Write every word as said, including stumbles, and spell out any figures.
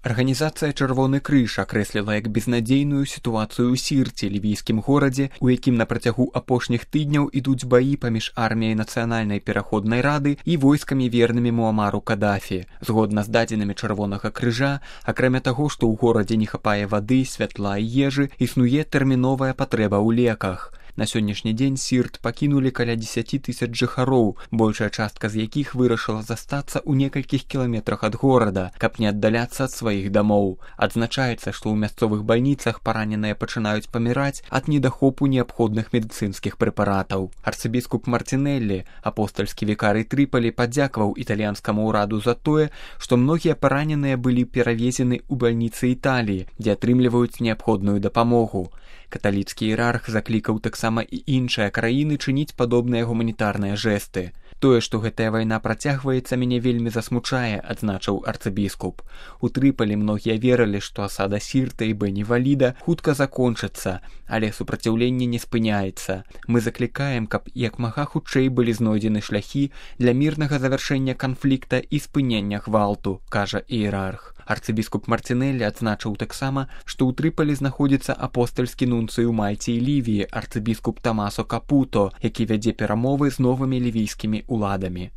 Арганізацыя «Чырвоны крыж» акрэсліла як безнадзейную сітуацыю ў Сірце, лівійскім горадзе, у якім на працягу апошніх тыдняў ідуць баі паміж арміяй нацыянальнай пераходнай рады і войскамі вернымі Муамару Кадафі. Згодна з дадзенымі «Чырвонага крыжа», акрамя таго, што ў горадзе не хапае вады, святла і ежы, існуе тэрміновая патрэба ў леках. На сённяшні дзень Сірт пакінулі каля дзесяці тысяч жыхароў, большая частка з якіх вырашыла застацца ў некалькіх кіламетрах ад горада, каб не аддаляцца ад сваіх дамоў. Адзначаецца, што ў мясцовых бальніцах параненыя пачынаюць паміраць ад недахопу неабходных медыцынскіх прэпаратаў. Арцыбіскуп Мартинеллі, апостальскі вікарый Трыполі, падзякаваў італьянскаму ўраду за тое, што многія параненыя былі перавезены ў бальніцы Італіі, дзе атрымліваюць неабходную дапамогу. Каталіцкі іерарх заклікаў таксама і іншыя краіны чыніць падобныя гуманітарныя жэсты. Тое, што гэтая вайна працягваецца, мяне вельмі засмучае, адзначыў арцыбіскуп. У Трыполі многія верылі, што асада Сірта і Бені-Валіда хутка закончыцца, але супраціўленне не спыняецца. Мы заклікаем, каб як мага хутчэй былі знойдзены шляхі для мірнага завяршэння канфлікта і спынення гвалту, кажа іерарх. Арцыбіскуп Мартинеллі адзначыў таксама, што ў Трыполі знаходзіцца апостальскі нунцый у Мальце і Лівіі, арцыбіскуп Тамасо Капуто, які вядзе перамовы з новымі лівійскімі уладамі.